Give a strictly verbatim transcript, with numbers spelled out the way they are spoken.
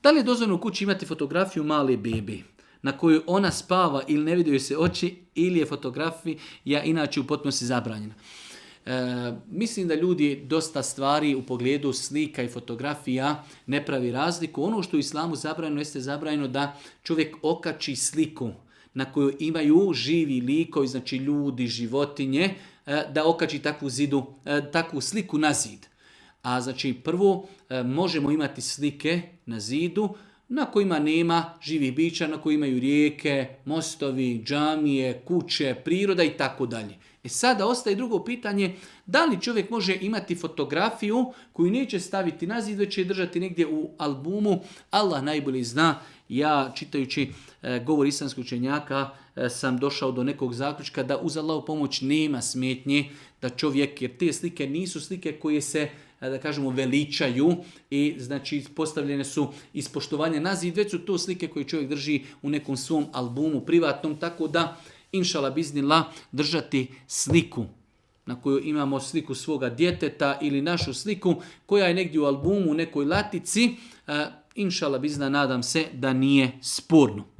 Da li je dozvoljeno u kući imati fotografiju male bebe na kojoj ona spava ili ne vidio se oči, ili je fotografija inače u potpunosti zabranjena? E, mislim da ljudi dosta stvari u pogledu slika i fotografija ne pravi razliku. Ono što u islamu zabranjeno jeste zabranjeno da čovjek okači sliku na kojoj imaju živi likovi, znači ljudi, životinje, e, da okači takvu, zidu, e, takvu sliku na zid. A znači prvo e, možemo imati slike na zidu na kojima nema živih bića, na kojima imaju rijeke, mostovi, džamije, kuće, priroda i tako dalje. E sada ostaje drugo pitanje, da li čovjek može imati fotografiju koju neće staviti na zid, već će je držati negdje u albumu. Allah najbolje zna. Ja čitajući e, govor islamskog učenjaka e, sam došao do nekog zaključka da uz Allahovu pomoć nema smetnje da čovjek, jer te slike nisu slike koje se da kažemo veličaju i znači postavljene su iz poštovanja na zid, već su to slike koje čovjek drži u nekom svom albumu privatnom, tako da inšala biznillah držati sliku na kojoj imamo sliku svoga djeteta ili našu sliku koja je negdje u albumu u nekoj latici, inšala biznillah nadam se da nije sporno.